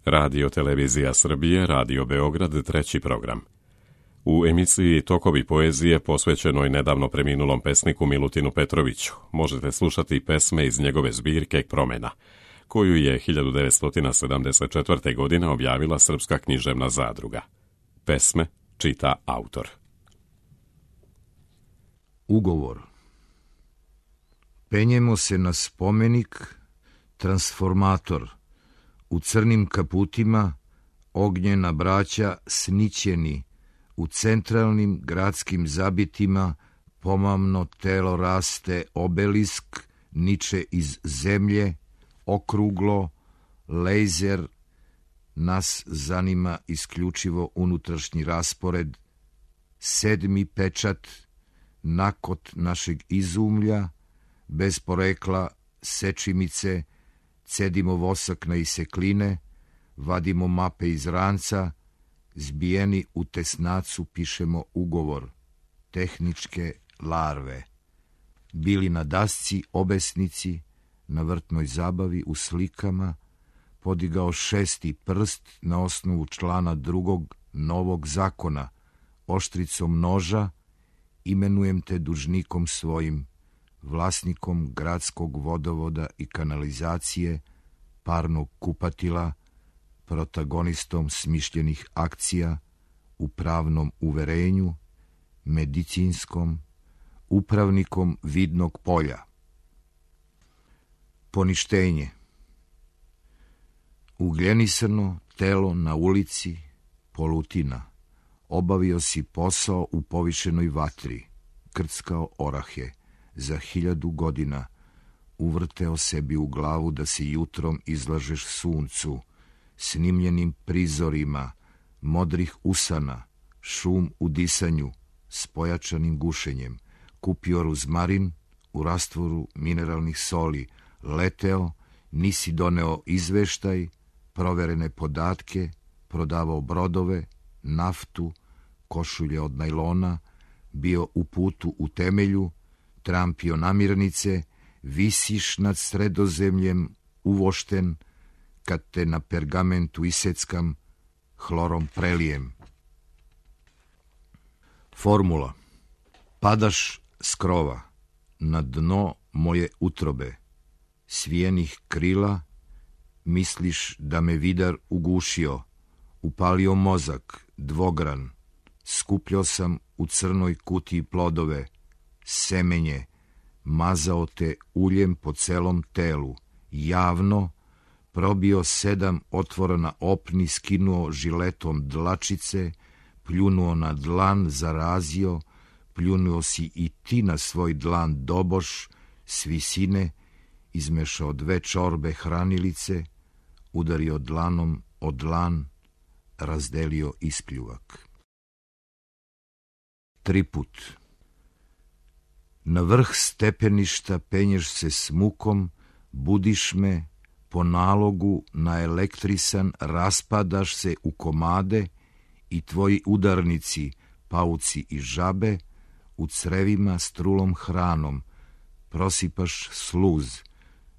Radio Televizija Srbije, Radio Beograd, treći program. U emisiji Tokovi poezije posvećenoj nedavno preminulom pesniku Milutinu Petroviću možete slušati pesme iz njegove zbirke Promena, koju je 1974. godine objavila Srpska književna zadruga. Pesme čita autor. Ugovor. Penjemo se na spomenik, transformator. U crnim kaputima ognjena braća snićeni, u centralnim gradskim zabitima pomamno telo raste obelisk, niče iz zemlje, okruglo, lejzer, nas zanima isključivo unutrašnji raspored, sedmi pečat, nakot našeg izumlja, bez porekla, sečimice, cedimo vosak na isekline, vadimo mape iz ranca, zbijeni u tesnacu pišemo ugovor, tehničke larve. Bili na dasci obesnici, na vrtnoj zabavi u slikama, podigao šesti prst na osnovu člana drugog novog zakona, oštricom noža, imenujem te dužnikom svojim, vlasnikom gradskog vodovoda i kanalizacije, parnog kupatila, protagonistom smišljenih akcija, u pravnom uverenju, medicinskom, upravnikom vidnog polja. Poništenje. Ugljenisano telo na ulici, polutina. Obavio si posao u povišenoj vatri, krckao orahe, za 1000 godina, uvrteo sebi u glavu da se jutrom izlažeš suncu, snimljenim prizorima, modrih usana, šum u disanju, s pojačanim gušenjem, kupio ruzmarin u rastvoru mineralnih soli, leteo, nisi doneo izveštaj, proverene podatke, prodavao brodove, naftu, košulje od najlona, bio u putu u temelju, trampio namirnice, visiš nad Sredozemljem, uvošten, kad te na pergamentu iseckam, hlorom prelijem. Formula. Padaš s krova, na dno moje utrobe, svijenih krila, misliš da me vidar ugušio, upalio mozak, dvogran, skupljao sam u crnoj kutiji plodove, semenje, mazao te uljem po celom telu, javno, probio 7 otvora na opni, skinuo žiletom dlačice, pljunuo na dlan, zarazio, pljunuo si i ti na svoj dlan doboš, s visine, izmešao 2 čorbe hranilice, udario dlanom o dlan, razdelio ispljuvak. 3 put. Na vrh stepeništa penješ se s mukom, budiš me, po nalogu naelektrisan raspadaš se u komade i tvoji udarnici, pauci i žabe, u crevima s trulom hranom, prosipaš sluz,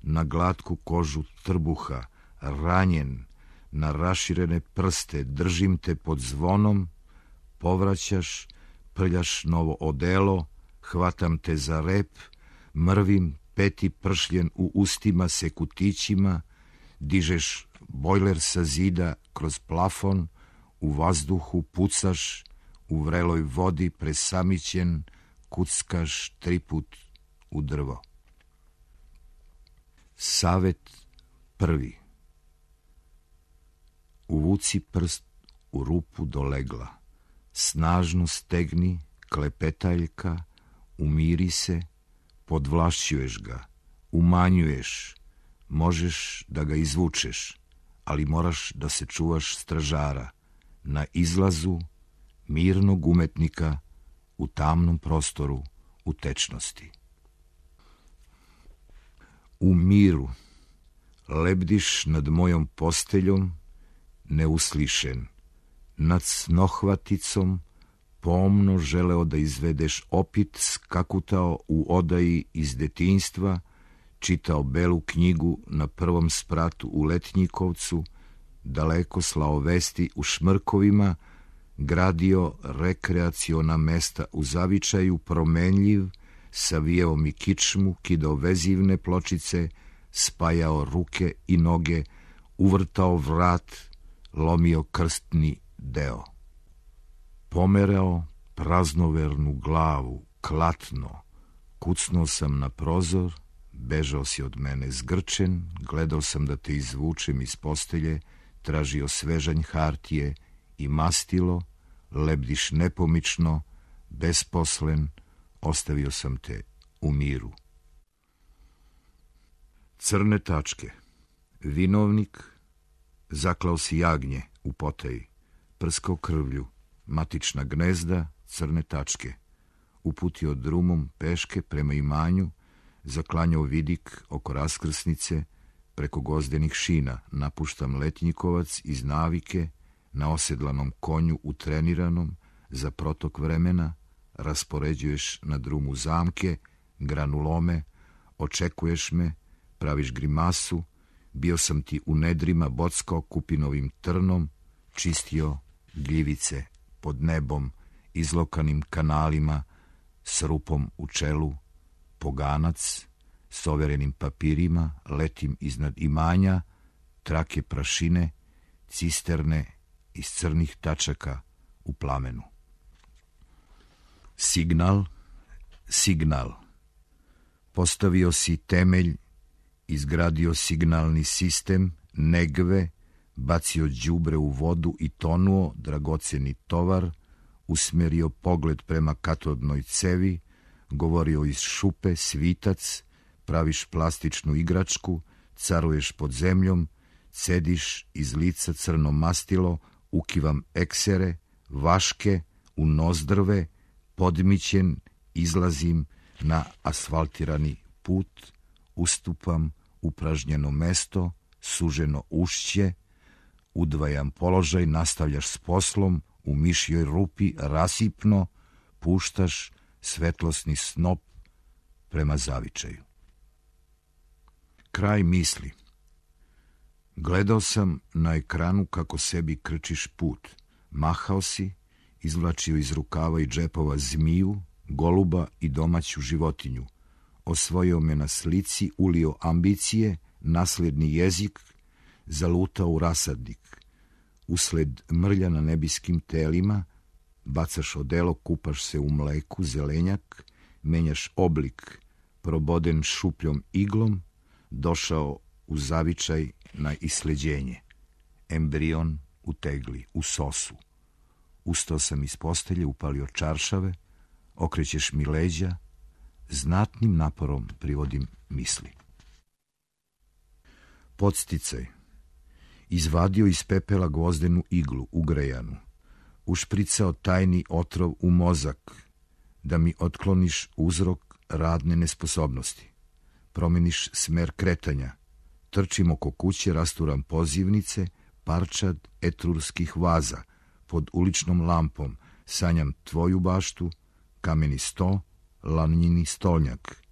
na glatku kožu trbuha, ranjen, na raširene prste, držim te pod zvonom, povraćaš, prljaš novo odelo, hvatam te za rep, mrvim, peti pršljen u ustima se kutićima, dižeš bojler sa zida kroz plafon, u vazduhu pucaš, u vreloj vodi presamićen, kuckaš 3 put u drvo. Savet prvi. Uvuci prst u rupu do legla, snažno stegni, klepetaljka, umiri se, podvlašćuješ ga, umanjuješ, možeš da ga izvučeš, ali moraš da se čuvaš stražara, na izlazu mirnog umetnika, u tamnom prostoru, u tečnosti. U miru lebdiš nad mojom posteljom, neuslišen, nad snohvaticom, pomno želeo da izvedeš opit, skakutao u odaji iz detinjstva, čitao belu knjigu na prvom spratu u Letnjikovcu, daleko slao vesti u šmrkovima, gradio rekreaciona mesta u zavičaju, promenljiv, savijao mi kičmu, kidao vezivne pločice, spajao ruke i noge, uvrtao vrat, lomio krstni deo. Pomerao praznovernu glavu, klatno, kucnuo sam na prozor, bežao si od mene zgrčen, gledao sam da te izvučem iz postelje, tražio svežanj hartije i mastilo, lebdiš nepomično, besposlen, ostavio sam te u miru. Crne tačke. Vinovnik, zaklao si jagnje u potaji, prskao krvlju, matična gnezda, crne tačke. Uputio drumom peške prema imanju, zaklanjao vidik oko raskrsnice, preko gozdenih šina napuštam letnjikovac iz navike, na osedlanom konju utreniranom, za protok vremena, raspoređuješ na drumu zamke, granulome, očekuješ me, praviš grimasu, bio sam ti u nedrima bockao kupinovim trnom, čistio gljivice pod nebom, izlokanim kanalima, s rupom u čelu, poganac, s overenim papirima, letim iznad imanja, trake prašine, cisterne iz crnih tačaka u plamenu. Signal, signal. Postavio si temelj, izgradio signalni sistem, negve, bacio đubre u vodu i tonuo dragoceni tovar, usmerio pogled prema katodnoj cevi, govorio iz šupe, svitac, praviš plastičnu igračku, caruješ pod zemljom, cediš iz lica crno mastilo, ukivam eksere, vaške, u nozdrve, podmićen, izlazim na asfaltirani put, ustupam upražnjeno mesto, suženo ušće, udvajam položaj, nastavljaš s poslom, u mišjoj rupi rasipno, puštaš svetlosni snop prema zavičaju. Kraj misli. Gledao sam na ekranu kako sebi krčiš put. Mahao si, izvlačio iz rukava i džepova zmiju, goluba i domaću životinju. Osvojio me na slici, ulio ambicije, nasljedni jezik, zalutao u rasadnik. Usled mrlja na nebiskim telima, bacaš odelo, kupaš se u mleku, zelenjak, menjaš oblik, proboden šupljom iglom, došao u zavičaj na isleđenje. Embrion u tegli, u sosu. Ustao sam iz postelje, upalio čaršave, okrećeš mi leđa, znatnim naporom privodim misli. Podsticaj. Izvadio iz pepela gvozdenu iglu, ugrejanu. Ušpricao tajni otrov u mozak, da mi otkloniš uzrok radne nesposobnosti. Promeniš smer kretanja. Trčim oko kuće, rasturam pozivnice, parčad etrurskih vaza. Pod uličnom lampom sanjam tvoju baštu, kameni sto, lanjini stolnjak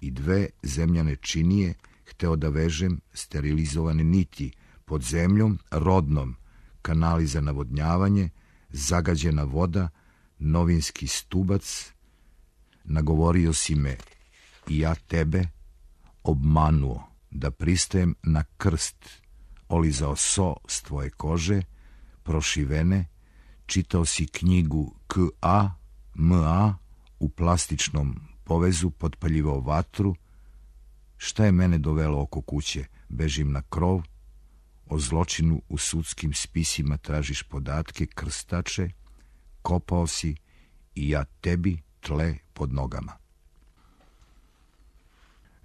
i 2 zemljane činije, hteo da vežem sterilizovane niti, pod zemljom, rodnom, kanali za navodnjavanje, zagađena voda, novinski stubac. Nagovorio si me i ja tebe, obmanuo da pristajem na krst, olizao so s tvoje kože, prošivene, čitao si knjigu K.A., M.A. u plastičnom povezu, potpaljivao vatru. Šta je mene dovelo oko kuće? Bežim na krov, o zločinu u sudskim spisima tražiš podatke, krstače, kopao si i ja tebi tle pod nogama.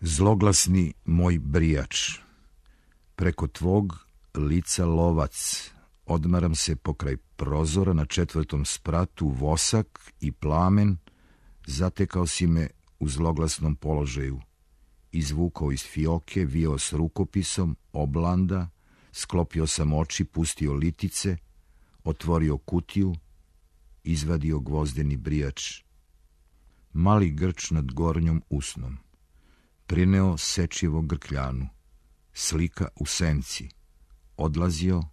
Zloglasni moj brijač, preko tvog lica lovac, odmaram se pokraj prozora, na 4. spratu vosak i plamen, zatekao si me u zloglasnom položaju, izvukao iz fioke, vio s rukopisom, oblanda, sklopio sam oči, pustio litice, otvorio kutiju, izvadio gvozdeni brijač. Mali grč nad gornjom usnom. Prineo sečijevo grkljanu. Slika u senci. Odlazio,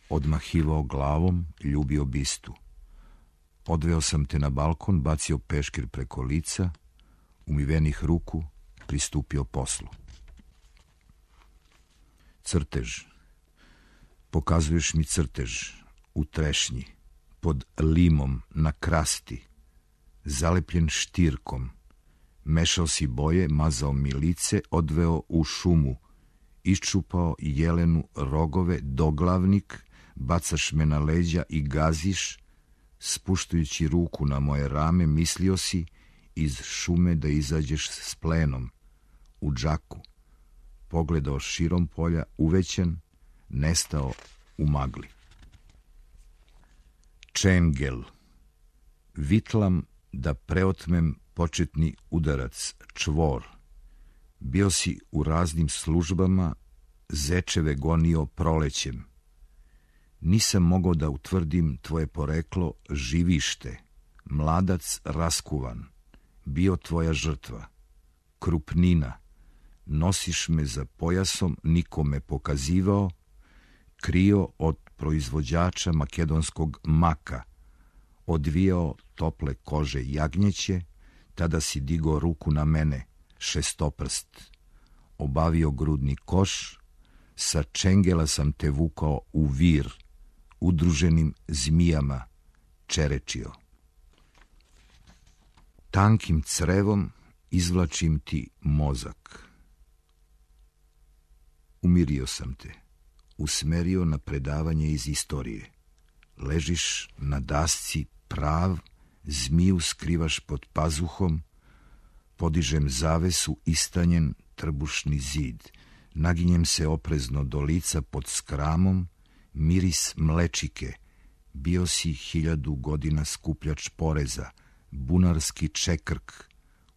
odmahivao glavom, ljubio bistu. Odveo sam te na balkon, bacio peškir preko lica, umivenih ruku, pristupio poslu. Crtež. Pokazuješ mi crtež u trešnji, pod limom, na krasti, zalepljen štirkom. Mešao si boje, mazao mi lice, odveo u šumu, iščupao jelenu rogove, doglavnik, bacaš me na leđa i gaziš, spuštajući ruku na moje rame, mislio si iz šume da izađeš s plenom, u džaku, pogledao širom polja, uvećan, nestao u magli. Čengel. Vitlam da preotmem početni udarac, čvor. Bio si u raznim službama, zečeve gonio prolećem. Nisam mogao da utvrdim tvoje poreklo, živište, mladac raskuvan, bio tvoja žrtva, krupnina, nosiš me za pojasom, nikome pokazivao, krio od proizvođača makedonskog maka, odvijao tople kože jagnjeće, tada si digao ruku na mene, šestoprst, obavio grudni koš, sa čengela sam te vukao u vir, udruženim zmijama čerečio. Tankim crevom izvlačim ti mozak. Umirio sam te, usmerio na predavanje iz istorije. Ležiš na dasci prav, zmiju skrivaš pod pazuhom, podižem zavesu, istanjen trbušni zid, naginjem se oprezno do lica pod skramom, miris mlečike, bio si 1000 godina skupljač poreza, bunarski čekrk,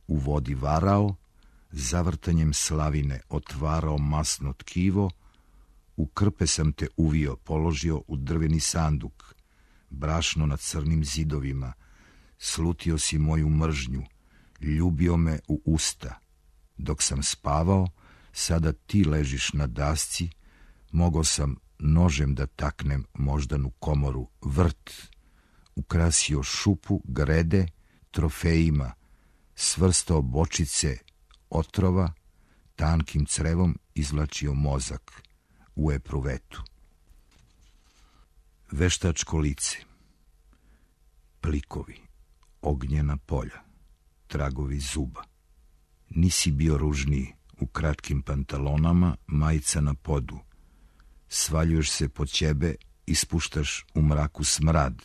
u vodi varao, zavrtanjem slavine otvarao masno tkivo, u krpe sam te uvio, položio u drveni sanduk, brašno na crnim zidovima, slutio si moju mržnju, ljubio me u usta. Dok sam spavao, sada ti ležiš na dasci, mogao sam nožem da taknem moždanu komoru, vrt, ukrasio šupu, grede, trofejima, svrstao bočice otrova, tankim crevom izvlačio mozak u epruvetu. Veštačko lice, plikovi, ognjena polja, tragovi zuba. Nisi bio ružniji, u kratkim pantalonama, majica na podu. Svaljuješ se po ćebe, ispuštaš u mraku smrad,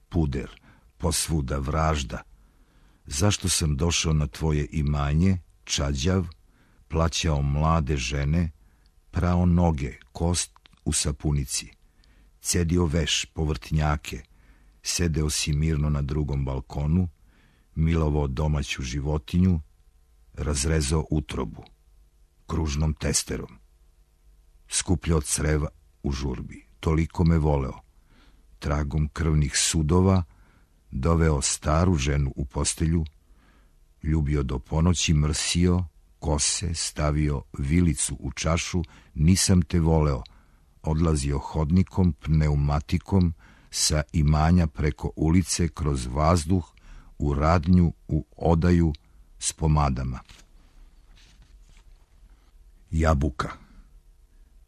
puder, posvuda vražda. Zašto sam došao na tvoje imanje, čađav, plaćao mlade žene, prao noge, kost u sapunici, cedio veš, povrtnjake, sedeo si mirno na drugom balkonu, milovao domaću životinju, razrezao utrobu, kružnom testerom, skupljao creva u žurbi, toliko me voleo, tragom krvnih sudova, doveo staru ženu u postelju, ljubio do ponoći, mrsio, kose, stavio vilicu u čašu, nisam te voleo, odlazio hodnikom, pneumatikom, sa imanja preko ulice, kroz vazduh, u radnju, u odaju, s pomadama. Jabuka.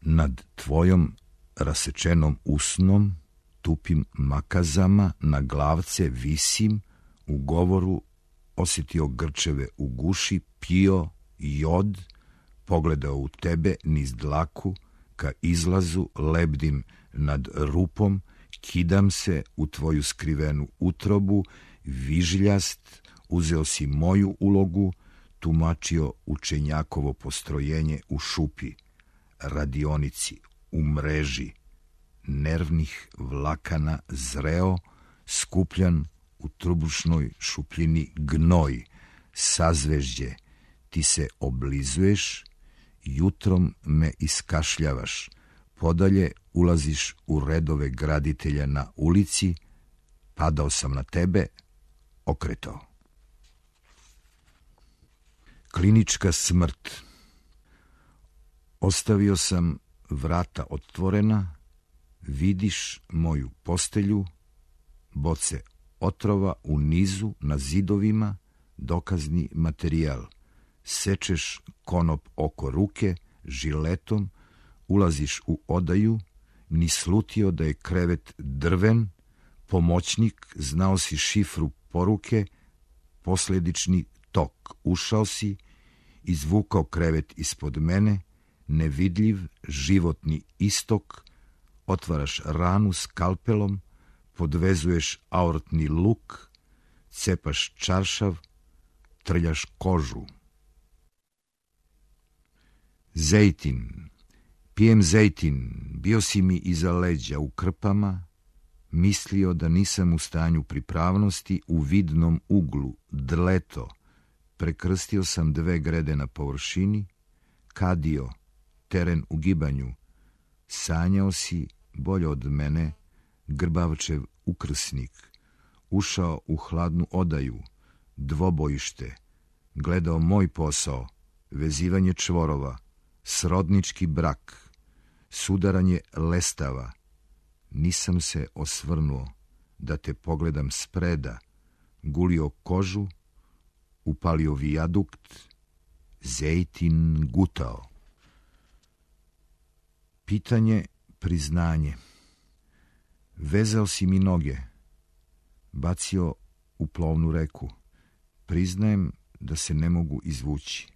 Nad tvojom rasečenom usnom, tupim makazama, na glavce visim, u govoru osjetio grčeve u guši, pio jod, pogledao u tebe niz dlaku, ka izlazu lebdim nad rupom, kidam se u tvoju skrivenu utrobu, vižljast, uzeo si moju ulogu, tumačio učenjakovo postrojenje u šupi, radionici, u mreži, nervnih vlakana zreo, skupljan u trubušnoj šupljini gnoj, sazvežđe, ti se oblizuješ, jutrom me iskašljavaš, podalje ulaziš u redove graditelja na ulici, padao sam na tebe, okretao. Klinička smrt. Ostavio sam vrata otvorena, Vidiš moju postelju, boce otrova u nizu na zidovima, dokazni materijal. Sečeš konop oko ruke, žiletom, ulaziš u odaju, ni slutio da je krevet drven, pomoćnik, znao si šifru poruke, posljedični tok. Ušao si, izvukao krevet ispod mene, nevidljiv životni istok, otvaraš ranu skalpelom, podvezuješ aortni luk, cepaš čaršav, trljaš kožu. Zejtin. Pijem zejtin, bio si mi iza leđa u krpama, mislio da nisam u stanju pripravnosti, u vidnom uglu, dleto, prekrstio sam 2 grede na površini, kadio, teren u gibanju, sanjao si, bolje od mene, Grbavčev ukrsnik, ušao u hladnu odaju, dvobojište, gledao moj posao, vezivanje čvorova, srodnički brak, sudaranje lestava. Nisam se osvrnuo da te pogledam spreda, gulio kožu, upalio vijadukt, Zejtin gutao. Pitanje, priznanje. Vezao si mi noge, bacio u plovnu reku. Priznajem da se ne mogu izvući.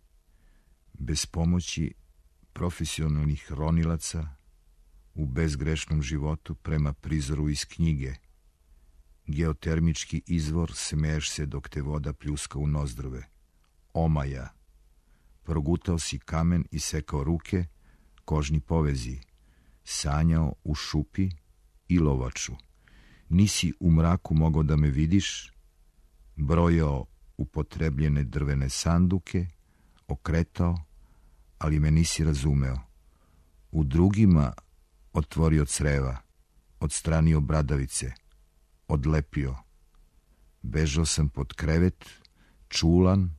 Bez pomoći profesionalnih ronilaca, u bezgrešnom životu prema prizoru iz knjige. Geotermički izvor, smeješ se dok te voda pljuska u nozdrve. Omaja. Progutao si kamen i sekao ruke, kožni povezi. Sanjao u šupi i lovaču. Nisi u mraku mogao da me vidiš, brojao upotrebljene drvene sanduke, okretao, ali me nisi razumeo. U drugima otvorio creva, odstranio bradavice, odlepio. Bežao sam pod krevet, čulan,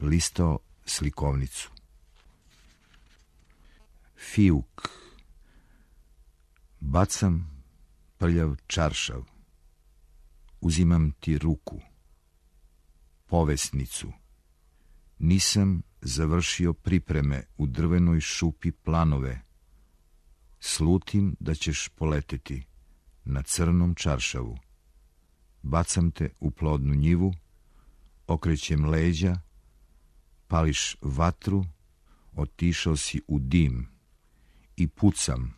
listao slikovnicu. Fijuk. Bacam prljav čaršav. Uzimam ti ruku. Povesnicu. Nisam završio pripreme u drvenoj šupi planove. Slutim da ćeš poleteti na crnom čaršavu. Bacam te u plodnu njivu, okrećem leđa, pališ vatru, otišao si u dim i pucam.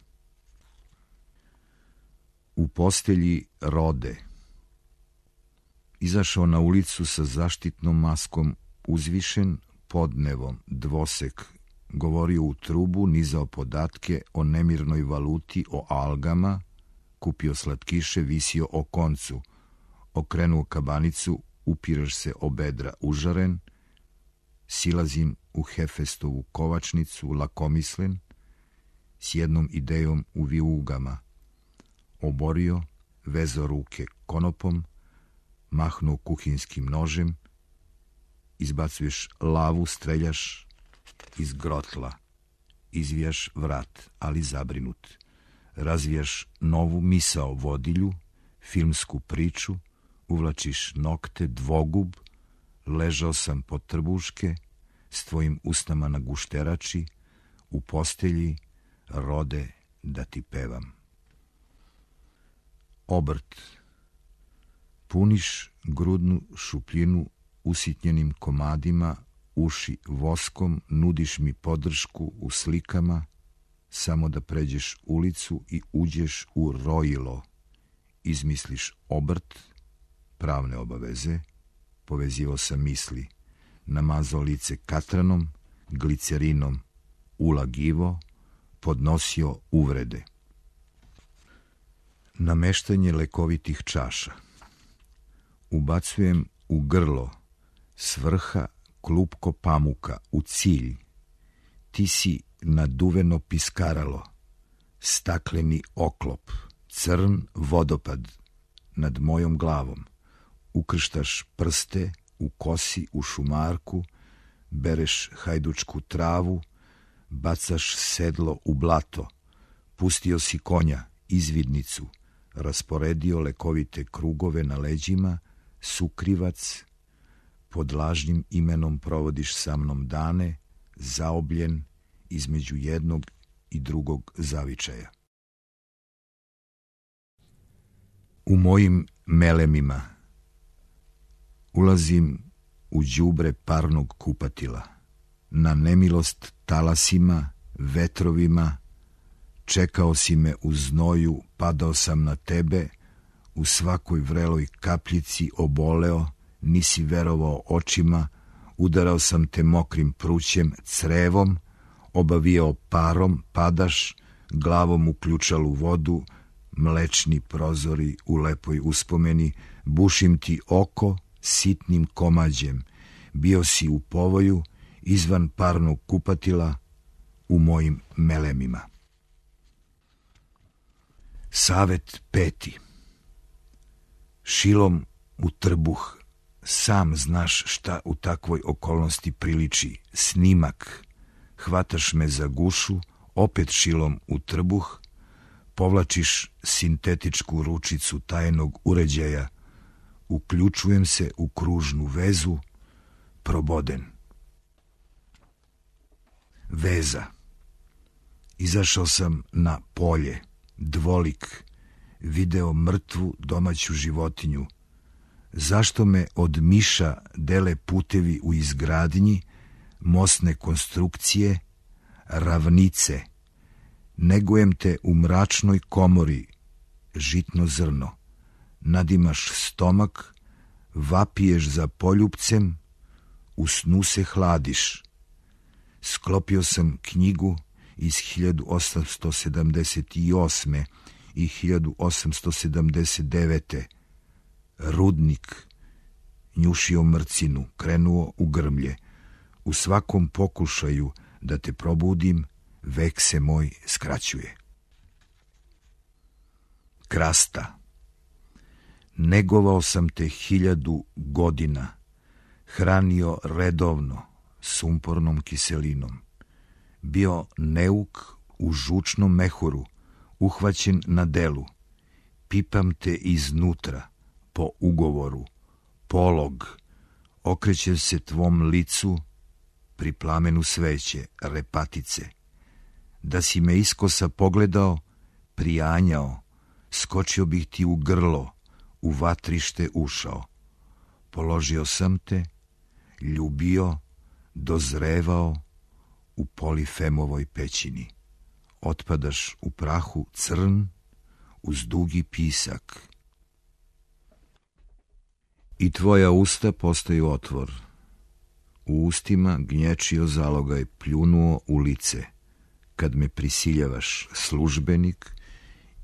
U postelji rode. Izašao na ulicu sa zaštitnom maskom, uzvišen, podnevom, dvosek, govorio u trubu, nizao podatke o nemirnoj valuti, o algama, kupio slatkiše, visio o koncu, okrenuo kabanicu, upiraš se o bedra užaren, silazim u Hefestovu kovačnicu, lakomislen, s jednom idejom u vijugama. Oborio, vezao ruke konopom, mahnuo kuhinskim nožem, izbacuješ lavu, streljaš iz grotla, izvijaš vrat, ali zabrinut. Razvijaš novu misao vodilju, filmsku priču, uvlačiš nokte, dvogub, ležao sam pod trbuške, s tvojim usnama na gušterači, u postelji, rode da ti pevam. Obrt. Puniš grudnu šupljinu usitnjenim komadima, uši voskom, nudiš mi podršku u slikama, samo da pređeš ulicu i uđeš u rojilo. Izmisliš obrt, pravne obaveze, povezivao sam misli, namazao lice katranom, glicerinom, ulagivo, podnosio uvrede. Nameštanje lekovitih čaša. Ubacujem u grlo s vrha klupko pamuka u cilj. Ti si naduveno piskaralo, stakleni oklop, crn vodopad nad mojom glavom. Ukrštaš prste u kosi, u šumarku, bereš hajdučku travu, bacaš sedlo u blato, pustio si konja, izvidnicu, rasporedio lekovite krugove na leđima, sukrivac, pod lažnim imenom provodiš sa mnom dane, zaobljen između jednog i drugog zavičaja. U mojim melemima ulazim u đubre parnog kupatila, na nemilost talasima, vetrovima, čekao si me u znoju, padao sam na tebe, u svakoj vreloj kapljici oboleo, nisi verovao očima, udarao sam te mokrim prućem, crevom, obavijao parom, padaš, glavom u ključalu vodu, mlečni prozori u lepoj uspomeni, bušim ti oko sitnim komađem, bio si u povoju, izvan parnog kupatila, u mojim melemima. Savet 5. Šilom u trbuh, sam znaš šta u takvoj okolnosti priliči, snimak, hvataš me za gušu, opet šilom u trbuh, povlačiš sintetičku ručicu tajnog uređaja, uključujem se u kružnu vezu, proboden. Veza. Izašao sam na polje, dvolik, video mrtvu domaću životinju. Zašto me od miša dele putevi u izgradnji, mostne konstrukcije, ravnice? Negujem te u mračnoj komori, žitno zrno. Nadimaš stomak, vapiješ za poljupcem, u snu se hladiš. Sklopio sam knjigu iz 1878. i 1879. Rudnik, njušio mrcinu, krenuo u grmlje. U svakom pokušaju da te probudim, vek se moj skraćuje. Krasta. Negovao sam te 1000 godina, hranio redovno, sumpornom kiselinom. Bio neuk u žučnom mehuru, uhvaćen na delu. Pipam te iznutra, po ugovoru, polog, okrećem se tvom licu, pri plamenu sveće, repatice. Da si me iskosa pogledao, prijanjao, skočio bih ti u grlo, u vatrište ušao. Položio sam te, ljubio, dozrevao u Polifemovoj pećini. Otpadaš u prahu crn, uz dugi pisak. I tvoja usta postaju otvor. U ustima gnječio zalogaj, pljunuo u lice. Kad me prisiljavaš, službenik,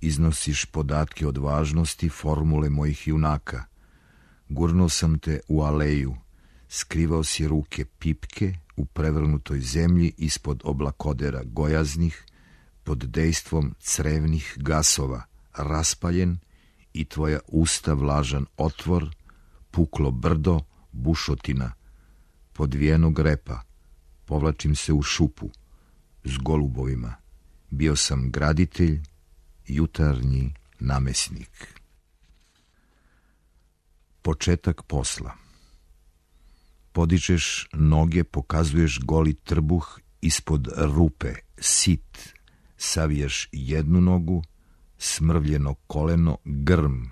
iznosiš podatke od važnosti, formule mojih junaka. Gurnuo sam te u aleju, skrivao si ruke pipke u prevrnutoj zemlji ispod oblakodera gojaznih, pod dejstvom crevnih gasova, raspaljen, i tvoja usta vlažan otvor, puklo brdo, bušotina, podvijenog repa, povlačim se u šupu, s golubovima. Bio sam graditelj, jutarnji namesnik. Početak posla. Podičeš noge, pokazuješ goli trbuh, ispod rupe, sit, savijaš jednu nogu, smrvljeno koleno, grm.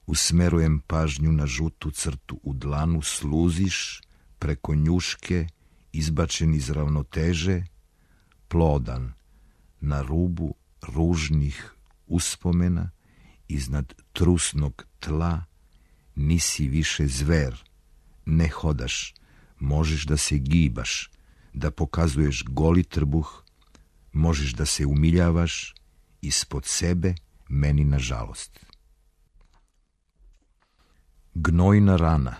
Usmerujem pažnju na žutu crtu u dlanu, sluziš preko njuške, izbačen iz ravnoteže, plodan, na rubu ružnih uspomena, iznad trusnog tla, nisi više zver, ne hodaš, možeš da se gibaš, da pokazuješ goli trbuh, možeš da se umiljavaš, ispod sebe, meni na žalost. Gnojna rana.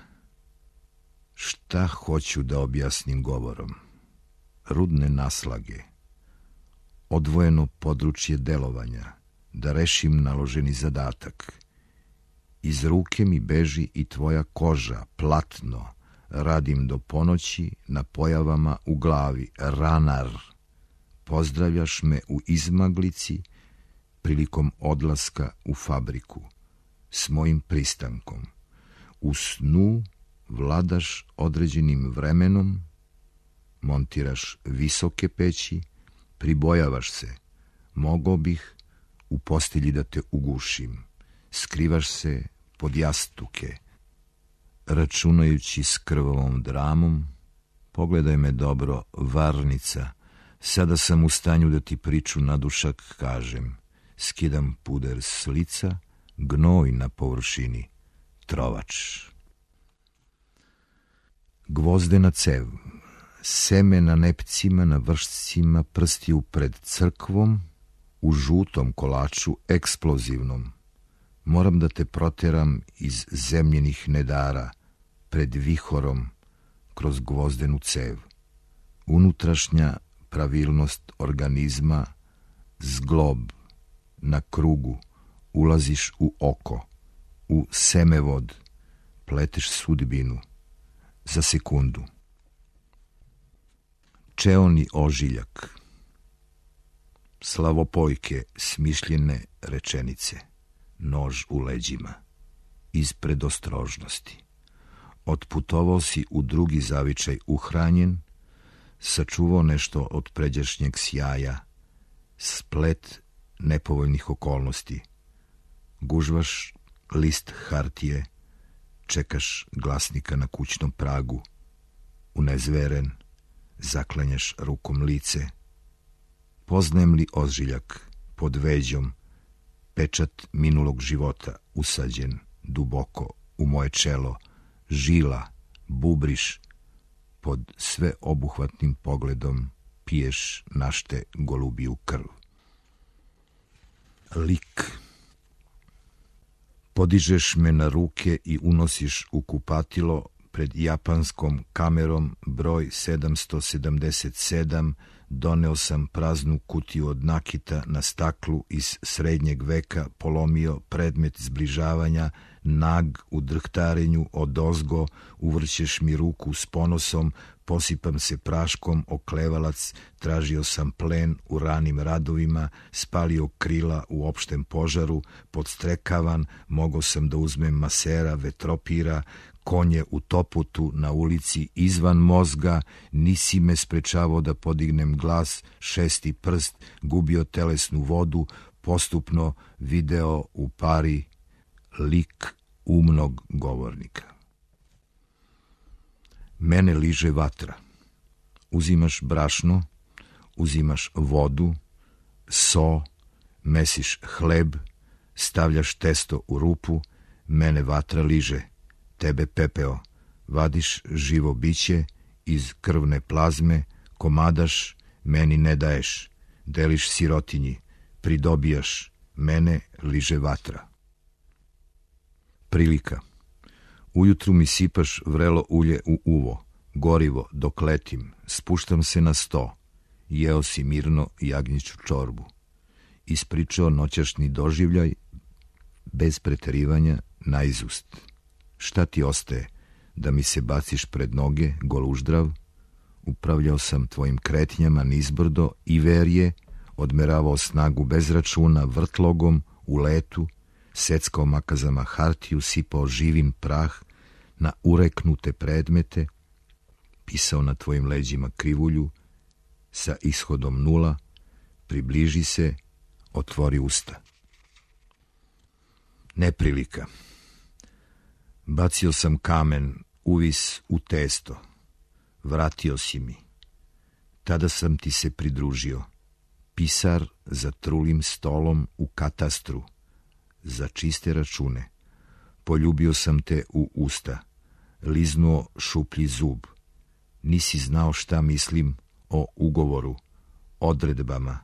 Šta hoću da objasnim govorom? Rudne naslage, odvojeno područje delovanja, da rešim naloženi zadatak. Iz ruke mi beži i tvoja koža, platno, radim do ponoći na pojavama u glavi, ranar. Pozdravljaš me u izmaglici, prilikom odlaska u fabriku, s mojim pristankom. U snu vladaš određenim vremenom, montiraš visoke peći, pribojavaš se, mogao bih u postelji da te ugušim, skrivaš se pod jastuke, računajući s krvavom dramom. Pogledaj me dobro, varnica, sada sam u stanju da ti priču na dušak kažem. Skidam puder s lica, gnoj na površini, trovač. Gvozdena cev, seme na nepcima, na vršcima, prstiju pred crkvom, u žutom kolaču, eksplozivnom. Moram da te proteram iz zemljenih nedara, pred vihorom, kroz gvozdenu cev. Unutrašnja pravilnost organizma, zglob, na krugu, ulaziš u oko, u semevod, pleteš sudbinu, za sekundu. Čeoni ožiljak, slavopojke, smišljene rečenice, nož u leđima, iz predostrožnosti. Otputovao si u drugi zavičaj uhranjen, sačuvao nešto od pređašnjeg sjaja, splet nepovoljnih okolnosti. Gužvaš list hartije, čekaš glasnika na kućnom pragu, unezveren, zaklanjaš rukom lice. Poznajem li ožiljak pod veđom, pečat minulog života usađen duboko u moje čelo, žila, bubriš, pod sve obuhvatnim pogledom piješ našte golubiju krv. Lik. Podižeš me na ruke i unosiš u kupatilo pred japanskom kamerom broj 777. Doneo sam praznu kutiju od nakita na staklu iz srednjeg veka, polomio predmet zbližavanja, nag u drhtarenju odozgo, uvrćeš mi ruku s ponosom, posipam se praškom, oklevalac, tražio sam plen u ranim radovima, spalio krila u opštem požaru, podstrekavan, mogao sam da uzmem masera, vetropira, konje u toputu na ulici izvan mozga, nisi me sprečavao da podignem glas, šesti prst, gubio telesnu vodu, postupno video u pari lik umnog govornika. Mene liže vatra. Uzimaš brašno, uzimaš vodu, so, mesiš hleb, stavljaš testo u rupu, mene vatra liže, tebe pepeo, vadiš živo biće iz krvne plazme, komadaš, meni ne daješ, deliš sirotinji, pridobijaš, mene liže vatra. Prilika. Ujutru mi sipaš vrelo ulje u uvo, gorivo dok letim, spuštam se na sto, jeo si mirno jagnjiću čorbu. Ispričao noćašnji doživljaj, bez preterivanja, naizust. Šta ti ostaje, da mi se baciš pred noge, goluždrav? Upravljao sam tvojim kretnjama nizbrdo i verje, odmeravao snagu bez računa vrtlogom u letu, seckao makazama hartiju, sipao živin prah na ureknute predmete, pisao na tvojim leđima krivulju, sa ishodom nula, približi se, otvori usta. Neprilika. Bacio sam kamen, uvis u testo. Vratio si mi. Tada sam ti se pridružio. Pisar za trulim stolom u katastru. Za čiste račune. Poljubio sam te u usta. Liznuo šuplji zub. Nisi znao šta mislim o ugovoru, odredbama.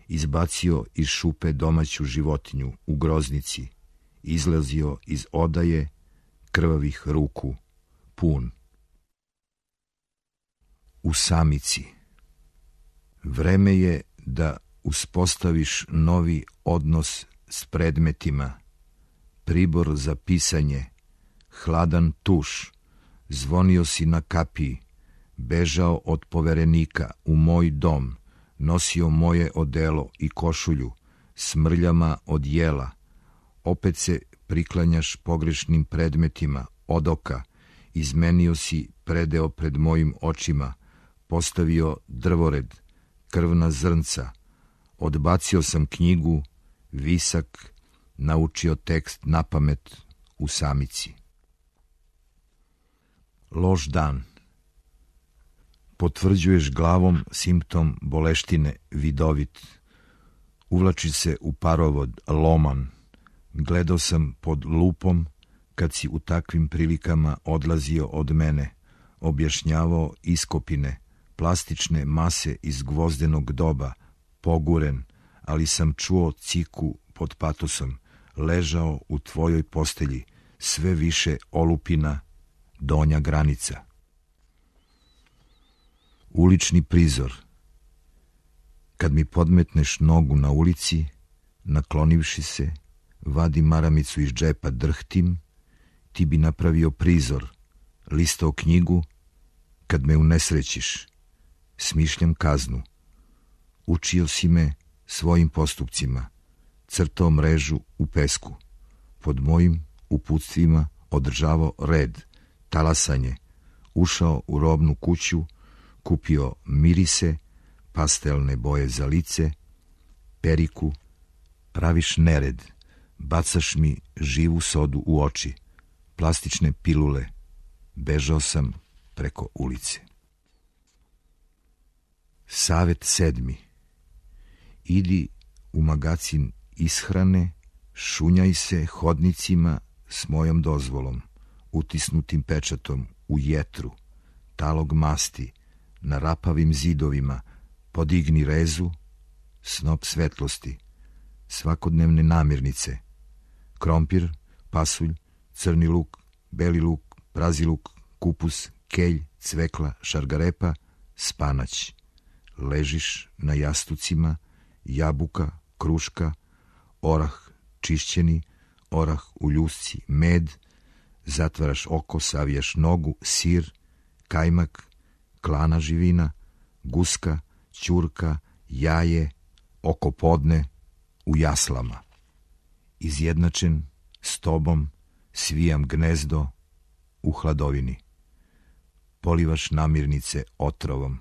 Izbacio iz šupe domaću životinju u groznici. Izlazio iz odaje krvavih ruku, pun. U samici. Vreme je da uspostaviš novi odnos s predmetima, pribor za pisanje, hladan tuš, zvonio si na kapiji, bežao od poverenika u moj dom, nosio moje odelo i košulju, smrljama od jela, opet se priklanjaš pogrešnim predmetima, od oka, izmenio si predeo pred mojim očima, postavio drvored, krvna zrnca, odbacio sam knjigu, visak, naučio tekst napamet u samici. Loš dan. Potvrđuješ glavom simptom boleštine, vidovit. Uvlači se u parovod, loman. Gledao sam pod lupom kad si u takvim prilikama odlazio od mene, objašnjavao iskopine, plastične mase iz gvozdenog doba, poguren, ali sam čuo ciku pod patosom, ležao u tvojoj postelji, sve više olupina, donja granica. Ulični prizor. Kad mi podmetneš nogu na ulici, naklonivši se, vadi maramicu iz džepa, drhtim, ti bi napravio prizor, listao knjigu, kad me unesrećiš, smišljam kaznu. Učio si me svojim postupcima, crtao mrežu u pesku, pod mojim uputstvima održavao red, talasanje, ušao u robnu kuću, kupio mirise, pastelne boje za lice, periku, praviš nered, bacaš mi živu sodu u oči, plastične pilule, bežao sam preko ulice. Savet 7. Idi u magacin ishrane, šunjaj se hodnicima s mojom dozvolom, utisnutim pečatom u jetru, talog masti, na rapavim zidovima, podigni rezu, snop svetlosti, svakodnevne namirnice, krompir, pasulj, crni luk, beli luk, prazi luk, kupus, kelj, cvekla, šargarepa, spanać. Ležiš na jastucima, jabuka, kruška, orah čišćeni, orah u ljusci, med, zatvaraš oko, savijaš nogu, sir, kajmak, klana živina, guska, ćurka, jaje, oko podne, u jaslama. Izjednačen s tobom, svijam gnezdo u hladovini. Polivaš namirnice otrovom,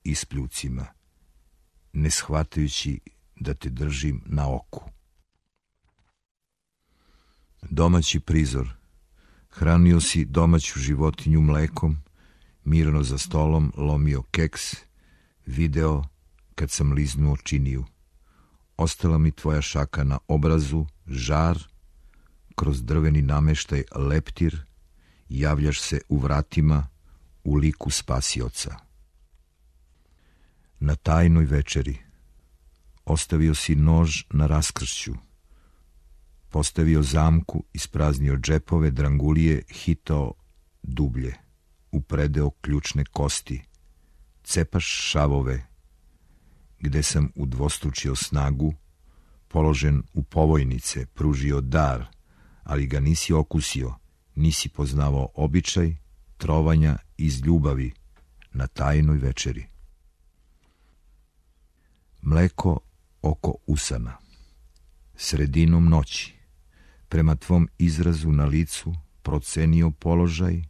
ispljucima, ne shvatajući da te držim na oku. Domaći prizor. Hranio si domaću životinju mlekom, mirno za stolom lomio keks, video kad sam liznuo činiju. Ostala mi tvoja šaka na obrazu, žar, kroz drveni nameštaj leptir, javljaš se u vratima u liku spasioca. Na tajnoj večeri ostavio si nož na raskršću, postavio zamku, ispraznio džepove, drangulije, hitao dublje, upredeo ključne kosti, cepaš šavove, gde sam udvostručio snagu, položen u povojnice, pružio dar, ali ga nisi okusio, nisi poznavao običaj trovanja iz ljubavi na tajnoj večeri. Mleko oko usana. Sredinom noći, prema tvom izrazu na licu, procenio položaj,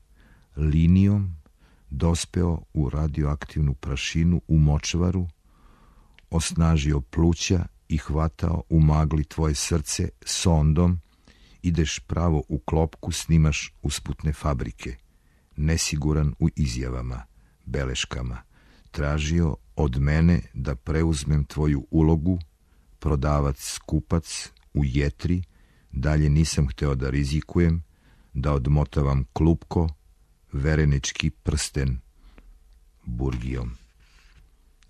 linijom dospeo u radioaktivnu prašinu u močvaru, osnažio pluća i hvatao u magli tvoje srce sondom, ideš pravo u klopku, snimaš usputne fabrike, nesiguran u izjavama, beleškama, tražio od mene da preuzmem tvoju ulogu, prodavac, kupac u jetri, dalje nisam hteo da rizikujem, da odmotavam klupko, verenički prsten burgijom.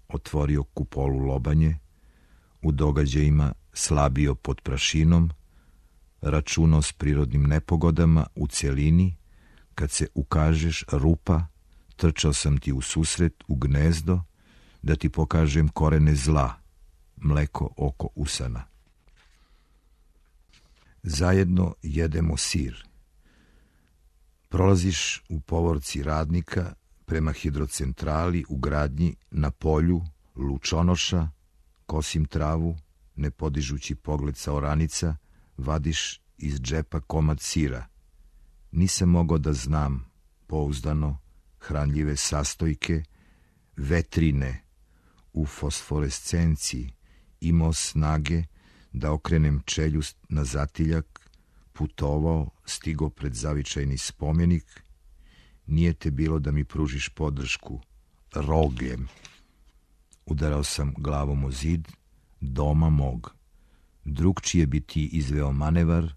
Otvorio kupolu lobanje, u događajima slabio pod prašinom, računao s prirodnim nepogodama u celini, kad se ukažeš rupa, trčao sam ti u susret, u gnezdo, da ti pokažem korene zla, mleko oko usana. Zajedno jedemo sir. Prolaziš u povorci radnika prema hidrocentrali u gradnji na polju Lučonoša, kosim travu, ne podižući pogled sa oranica, vadiš iz džepa komad sira. Nisam mogao da znam pouzdano hranljive sastojke, vetrine u fosforescenciji, imao snage da okrenem čeljust na zatiljak, putovao, stigao pred zavičajni spomenik. Nije te bilo da mi pružiš podršku, rogljem. Udarao sam glavom o zid doma mog. Drugčije bi ti izveo manevar,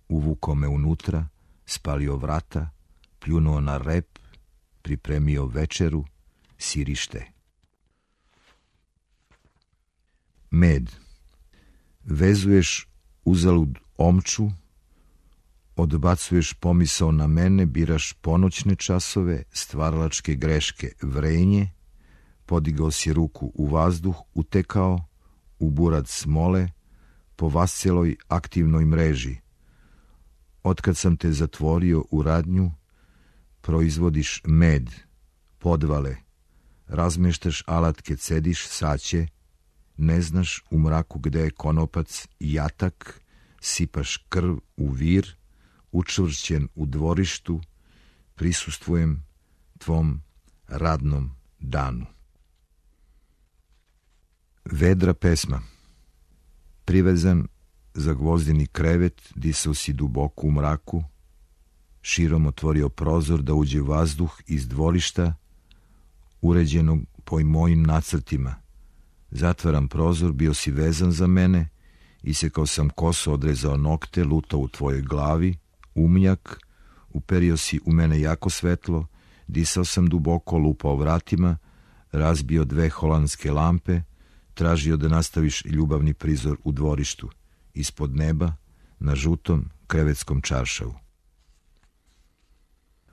uvukao me unutra, spalio vrata, pljunuo na rep, pripremio večeru, sirište. Med. Vezuješ uzalud omču, odbacuješ pomisao na mene, biraš ponoćne časove, stvaralačke greške, vrenje, podigao si ruku u vazduh, utekao, u burat smole, po vasceloj aktivnoj mreži. Otkad sam te zatvorio u radnju, proizvodiš med, podvale, razmeštaš alatke, cediš saće, ne znaš u mraku gde je konopac i jatak, sipaš krv u vir, učvršćen u dvorištu, prisustvujem tvom radnom danu. Vedra pesma. Privezan za gvozdeni krevet, disao si duboko u mraku, širom otvorio prozor da uđe vazduh iz dvorišta, uređenog po mojim nacrtima. Zatvaram prozor, bio si vezan za mene, isekao sam kosu, odrezao nokte, lutao u tvojoj glavi, umnjak, uperio si u mene jako svetlo, disao sam duboko, lupao vratima, razbio 2 holandske lampe, tražio da nastaviš ljubavni prizor u dvorištu, ispod neba, na žutom krevetskom čaršavu.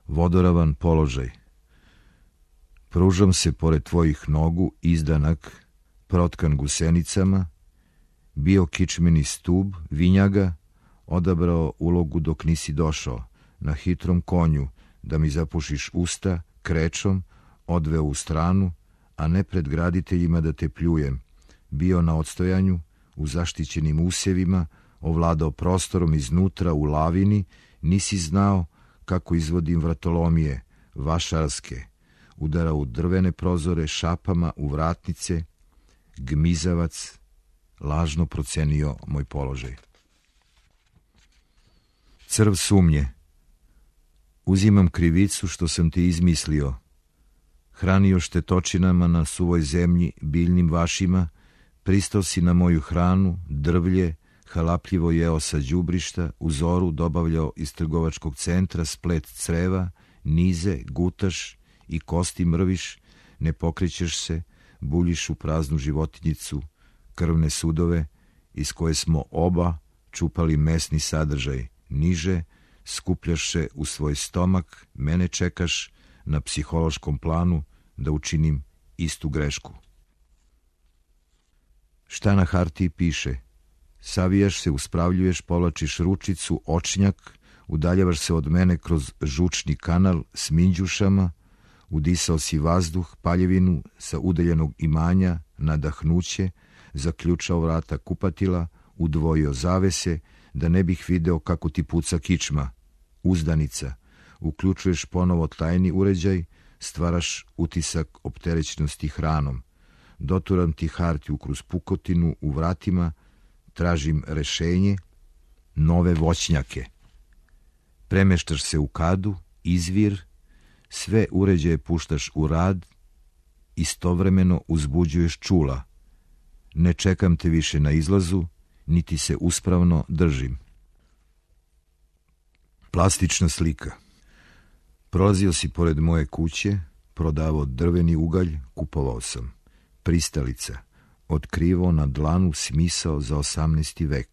Vodoravan položaj. Pružam se pored tvojih nogu, izdanak, protkan gusenicama, bio kičmeni stub, vinjaga, odabrao ulogu dok nisi došao, na hitrom konju, da mi zapušiš usta, krečom, odveo u stranu, a ne pred graditeljima da te pljujem, bio na odstojanju, u zaštićenim usevima, ovladao prostorom iznutra u lavini, nisi znao kako izvodim vratolomije, vašarske, udarao u drvene prozore, šapama u vratnice, gmizavac, lažno procenio moj položaj. Crv sumnje. Uzimam krivicu što sam te izmislio, hranio štetočinama na suvoj zemlji, biljnim vašima, pristao si na moju hranu, drvlje, halapljivo jeo sa đubrišta, u zoru dobavljao iz trgovačkog centra splet creva, nize, gutaš i kosti mrviš, ne pokrećeš se, buljiš u praznu životinjicu, krvne sudove, iz koje smo oba čupali mesni sadržaj, niže, skupljaš se u svoj stomak, mene čekaš na psihološkom planu da učinim istu grešku. Šta na hartiji piše? Savijaš se, uspravljuješ, povlačiš ručicu, očnjak, udaljavaš se od mene kroz žučni kanal s minđušama, udisao si vazduh, paljevinu sa udaljenog imanja, nadahnuće, zaključao vrata kupatila, udvojio zavese, da ne bih video kako ti puca kičma, uzdanica, uključuješ ponovo tajni uređaj, stvaraš utisak opterećenosti hranom, doturam ti hartiju kroz pukotinu u vratima, tražim rešenje, nove voćnjake. Premeštaš se u kadu, izvir, sve uređaje puštaš u rad, istovremeno uzbuđuješ čula. Ne čekam te više na izlazu, niti se uspravno držim. Plastična slika. Prolazio si pored moje kuće, prodavao drveni ugalj, kupovao sam. Pristalica, otkrivao na dlanu smisao za 18. vek.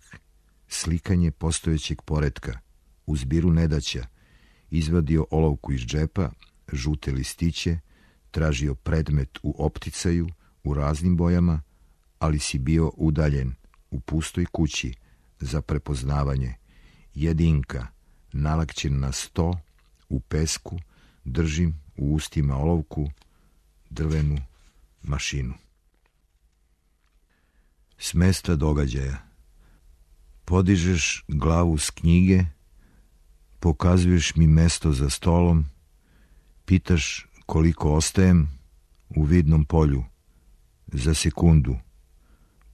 Slikanje postojećeg poretka, u zbiru nedaća, izvadio olovku iz džepa, žute listiće, tražio predmet u opticaju, u raznim bojama, ali si bio udaljen, u pustoj kući, za prepoznavanje. Jedinka, nalakćen na sto, u pesku, držim u ustima olovku, drvenu mašinu. S mesta događaja. Podižeš glavu s knjige, pokazuješ mi mesto za stolom, pitaš koliko ostajem u vidnom polju. Za sekundu.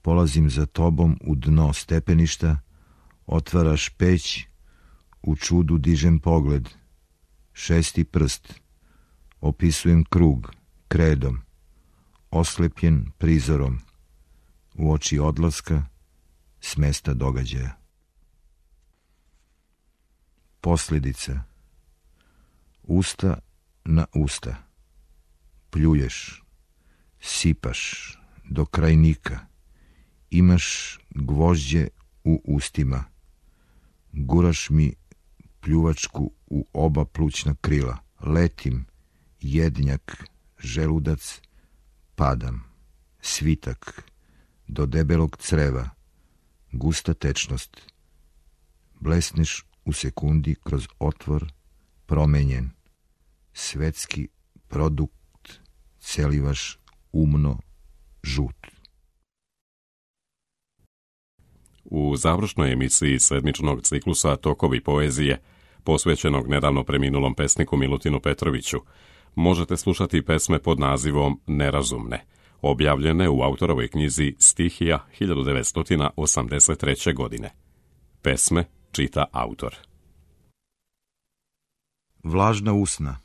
Polazim za tobom u dno stepeništa, otvaraš peć, u čudu dižem pogled. 6. prst. Opisujem krug, kredom, oslepljen prizorom, u oči odlaska, s mesta događaja. Posljedica. Usta na usta. Pljuješ, sipaš do krajnika. Imaš gvožđe u ustima. Guraš mi pljuvačku u oba plućna krila. Letim, jednjak, želudac, padam. Svitak, do debelog creva. Gusta tečnost. Blesneš u sekundi kroz otvor, promenjen. Svetski produkt, celivaš umno, žut. U završnoj emisiji sedmičnog ciklusa Tokovi poezije, posvećenog nedavno preminulom pesniku Milutinu Petroviću, možete slušati pesme pod nazivom Nerazumne, objavljene u autorovoj knjizi Stihija 1983. godine. Pesme čita autor. Vlažna usna.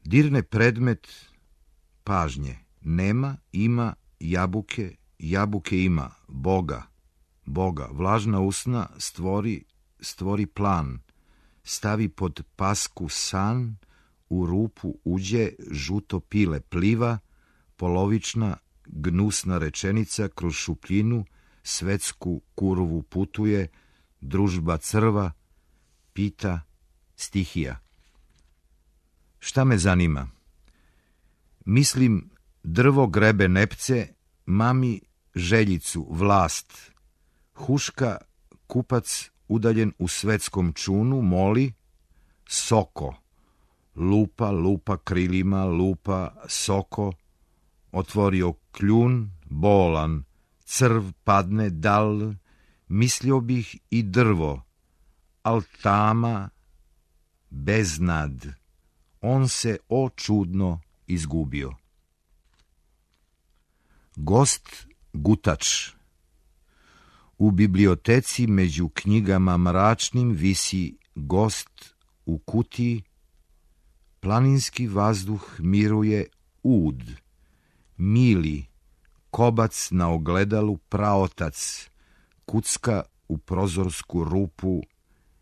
Dirne predmet pažnje. Nema, ima, jabuke, jabuke ima, Boga, Boga. Vlažna usna stvori plan. Stavi pod pasku san, u rupu uđe, žuto pile pliva, polovična, gnusna rečenica kroz šupljinu, svetsku kurvu putuje, družba crva, pita stihija. Šta me zanima? Mislim, drvo grebe nepce, mami željicu, vlast. Huška, kupac udaljen u svetskom čunu, moli, soko. Lupa krilima, lupa, soko. Otvorio kljun, bolan, crv padne dal, mislio bih i drvo, al tama, beznad, on se o čudno izgubio. Gost gutač. U biblioteci među knjigama mračnim visi gost u kutiji, planinski vazduh miruje ud, mili, kobac na ogledalu praotac, kucka u prozorsku rupu,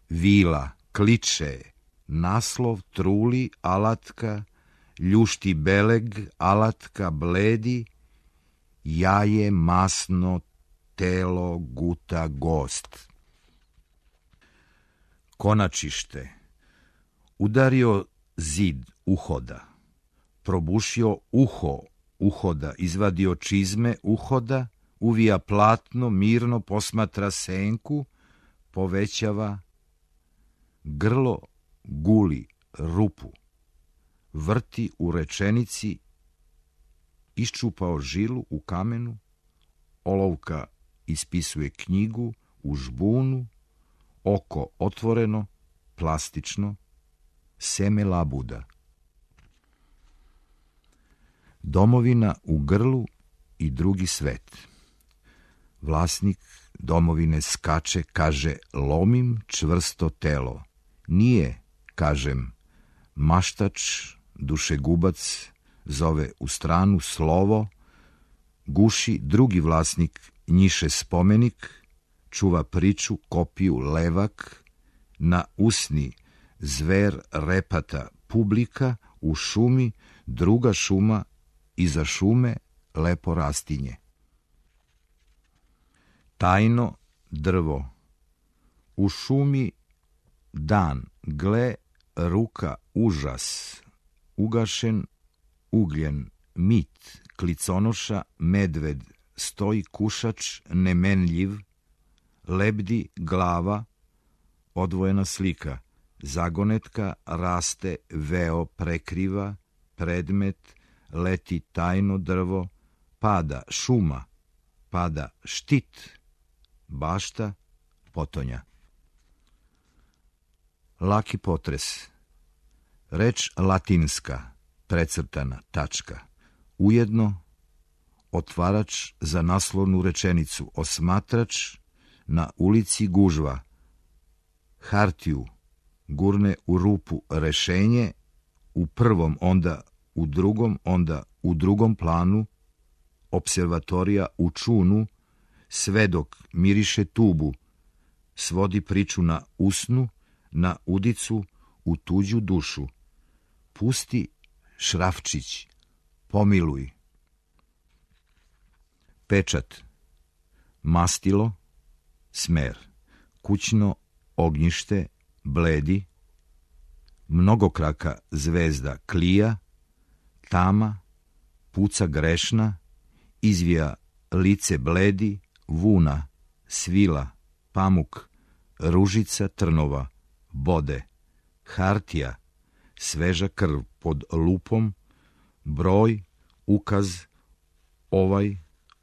vila, kliče, naslov truli, alatka, ljušti beleg, alatka bledi, jaje masno, telo guta gost. Konačište. Udario zid uhoda, probušio uho uhoda, izvadio čizme uhoda, uvija platno, mirno posmatra senku, povećava, grlo guli rupu, vrti u rečenici, iščupao žilu u kamenu, olovka ispisuje knjigu u žbunu, oko otvoreno, plastično, seme labuda. Domovina u grlu i drugi svet. Vlasnik domovine skače, kaže, lomim čvrsto telo. Nije, kažem, maštač, dušegubac, zove u stranu slovo, guši drugi vlasnik, njiše spomenik, čuva priču, kopiju, levak, na usni zver repata publika, u šumi druga šuma, iza šume lepo rastinje. Tajno drvo. U šumi dan, gle, ruka, užas, ugašen, ugljen, mit, kliconoša, medved, stoji kušač, nemenljiv, lebdi glava, odvojena slika, zagonetka, raste, veo, prekriva, predmet, leti tajno drvo, pada, šuma, pada štit, bašta, potonja. Laki potres. Reč latinska, precrtana, tačka. Ujedno otvarač za naslovnu rečenicu. Osmatrač, na ulici gužva. Hartiju gurne u rupu rešenje, u prvom, onda u drugom planu. Observatorija u čunu, svedok miriše tubu, svodi priču na usnu, na udicu, u tuđu dušu. Pusti šrafčić, pomiluj. Pečat, mastilo, smer, kućno ognjište, bledi, mnogokraka zvezda klija, tama, puca grešna, izvija lice bledi, vuna, svila, pamuk, ružica trnova, bode, hartija, sveža krv pod lupom, broj, ukaz, ovaj,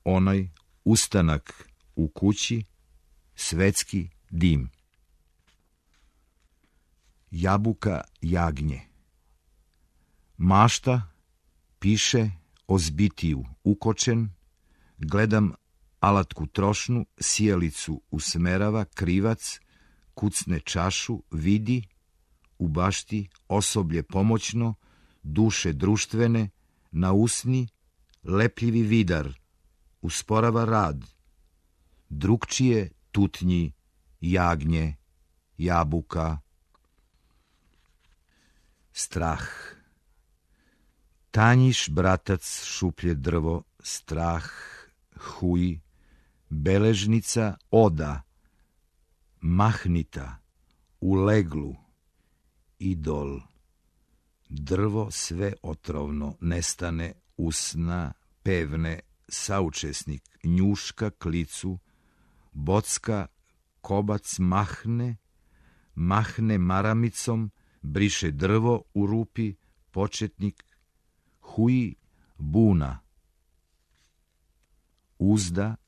onaj, ustanak u kući, svetski dim. Jabuka jagnje. Mašta, piše o zbitiju, ukočen, gledam alatku trošnu, sijalicu usmerava, krivac, kucne čašu, vidi, u bašti, osoblje pomoćno, duše društvene, na usni, lepljivi vidar, usporava rad, drugčije tutnji, jagnje, jabuka. Strah. Tanjiš, bratac, šuplje drvo, strah, huj, beležnica, oda, mahnita, u leglu, idol, drvo sve otrovno, nestane, usna, pevne, saučesnik, njuška, klicu, bocka, kobac, mahne maramicom, briše drvo u rupi, početnik, huj, buna.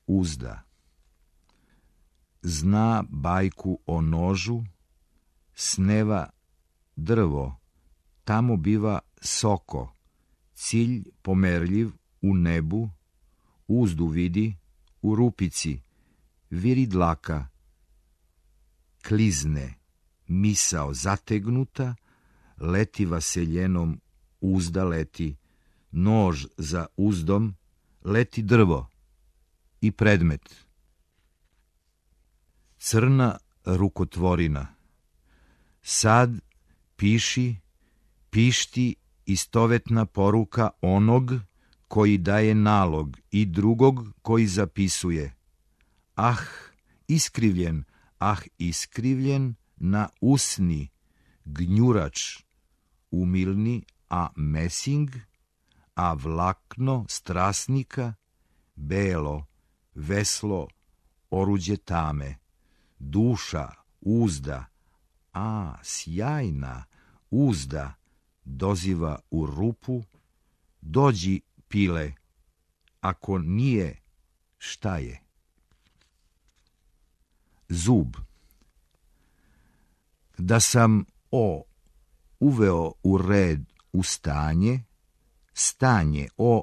Uzda. Zna bajku o nožu, sneva drvo, tamo biva soko, cilj pomerljiv u nebu, uzdu vidi, u rupici, viri dlaka, klizne, misao zategnuta, leti vaseljenom, uzda leti, nož za uzdom, leti drvo i predmet. Crna rukotvorina. Sad piši, pišti istovetna poruka onog koji daje nalog i drugog koji zapisuje. Iskrivljen na usni, gnjurač, umilni, a mesing, a vlakno strasnika, belo, veslo, oruđe tame, duša, uzda, a sjajna, uzda, doziva u rupu, dođi, pile, ako nije, šta je? Zub. Da sam uveo u red u stanje,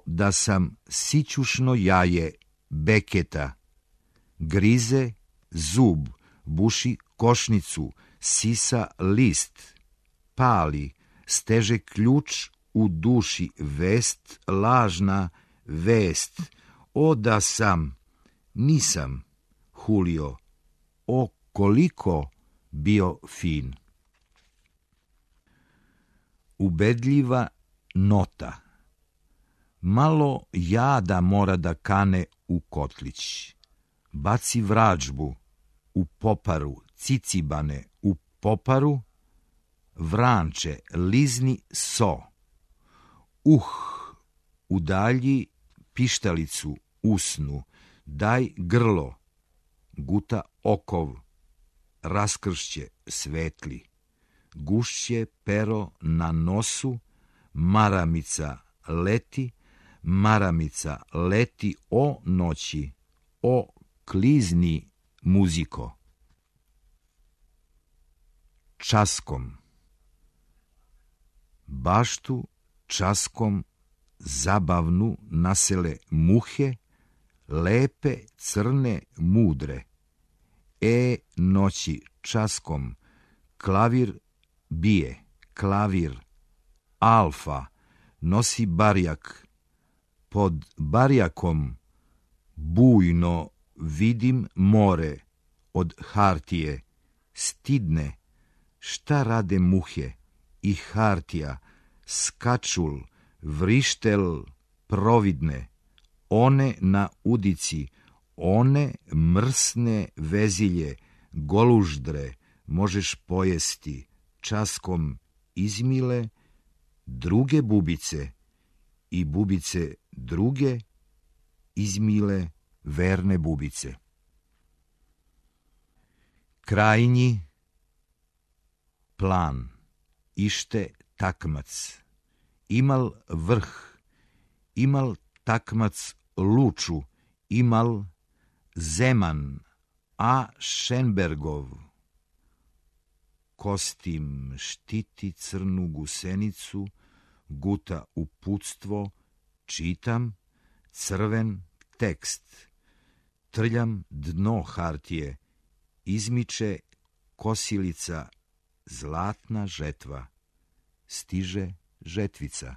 da sam sićušno jaje beketa, grize zub, buši košnicu, sisa list, pali, steže ključ u duši, vest, lažna vest, da sam, nisam, Julio, koliko bio fin. Ubedljiva nota. Malo jada mora da kane u kotlić. Baci vrađbu u poparu, cicibane u poparu, vranče, lizni so. Udalji pištalicu usnu, daj grlo, guta okov, raskršće svetli, gušće pero na nosu, maramica leti o noći, o klizni muziko. Časkom. Baštu časkom zabavnu nasele muhe, lepe, crne, mudre. Noći časkom klavir bije, klavir. Alfa nosi barjak. Pod barjakom bujno vidim more od hartije. Stidne, šta rade muhe i hartija, skačul, vrištel, providne. One na udici, one mrsne vezilje, goluždre, možeš pojesti, časkom izmile, druge bubice i bubice druge, izmile verne bubice. Krajnji plan, ište takmac, imal vrh, imal takmac luču, imal Zeman, a Šenbergov. Kostim štiti crnu gusenicu, guta uputstvo, čitam, crven tekst. Trljam dno hartije, izmiče kosilica, zlatna žetva. Stiže žetvica.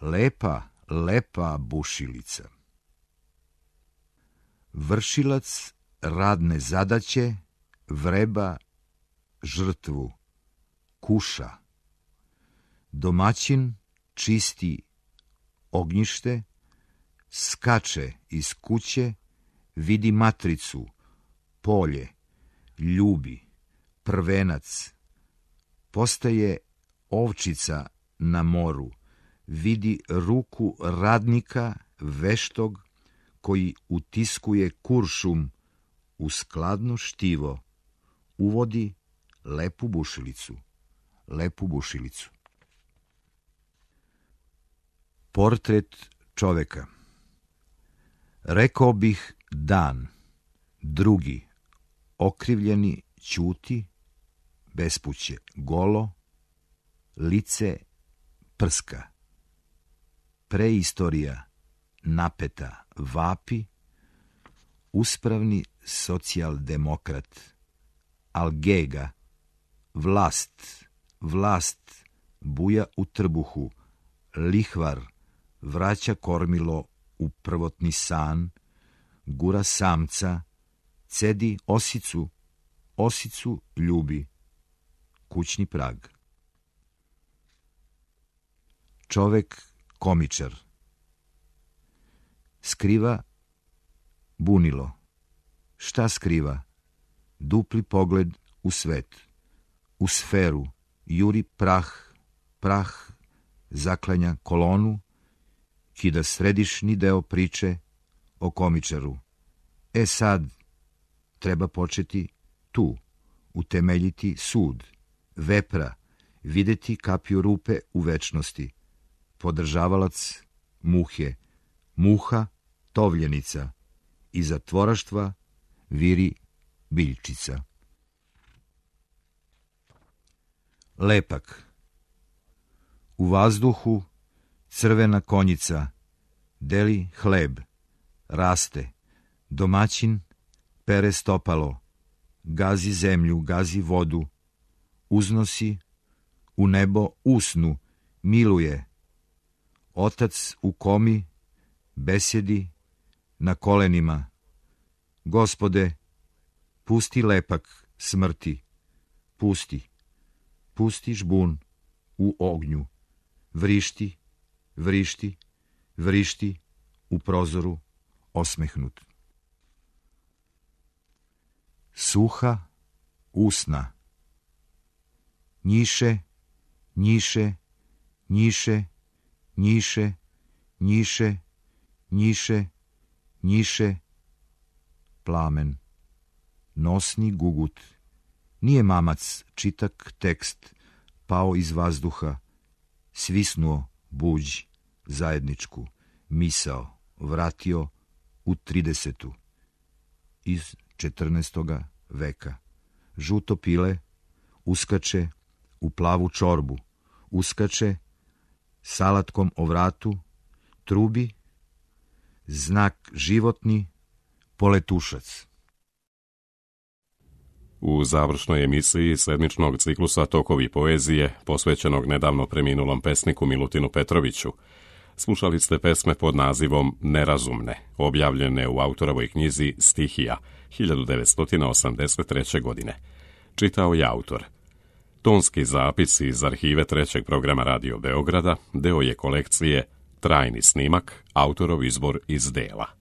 Lepa, lepa bušilica. Vršilac radne zadaće vreba žrtvu, kuša. Domaćin čisti ognjište, skače iz kuće, vidi matricu, polje, ljubi, prvenac. Postaje ovčica na moru, vidi ruku radnika veštog koji utiskuje kuršum u skladno štivo, uvodi lepu bušilicu, lepu bušilicu. Portret čoveka. Rekao bih dan, drugi, okrivljeni, ćuti, bespuće, golo, lice prska. Preistorija, napeta, vapi, uspravni socijaldemokrat, algega, vlast, buja u trbuhu, lihvar, vraća kormilo u prvotni san, gura samca, cedi osicu ljubi, kućni prag. Čovek komičar. Skriva bunilo. Šta skriva? Dupli pogled u svet, u sferu, juri prah, zaklanja kolonu, kida središnji deo priče o komičaru. Sad treba početi tu, utemeljiti sud, vepra, videti kapiju rupe u večnosti, podržavalac muhe, muha tovljenica, iza tvoraštva viri biljčica. Lepak. U vazduhu crvena konjica, deli hleb, raste, domaćin pere stopalo, gazi zemlju, gazi vodu, uznosi, u nebo usnu, miluje. Otac u komi, besjedi, na kolenima. Gospode, pusti lepak smrti, pusti žbun u ognju, vrišti u prozoru osmehnut. Suha usna. Njiše, plamen. Nosni gugut. Nije mamac, čitak tekst, pao iz vazduha, svisnuo buđ zajedničku, misao, vratio u 30. iz 14. veka. Žuto pile uskače u plavu čorbu, uskače salatkom o vratu, trubi, znak životni, poletušac. U završnoj emisiji sedmičnog ciklusa Tokovi poezije, posvećenog nedavno preminulom pesniku Milutinu Petroviću, slušali ste pesme pod nazivom Nerazumne, objavljene u autorovoj knjizi Stihija 1983. godine. Čitao je autor. Tonski zapis iz arhive trećeg programa Radio Beograda deo je kolekcije Trajni snimak, autorov izbor iz dela.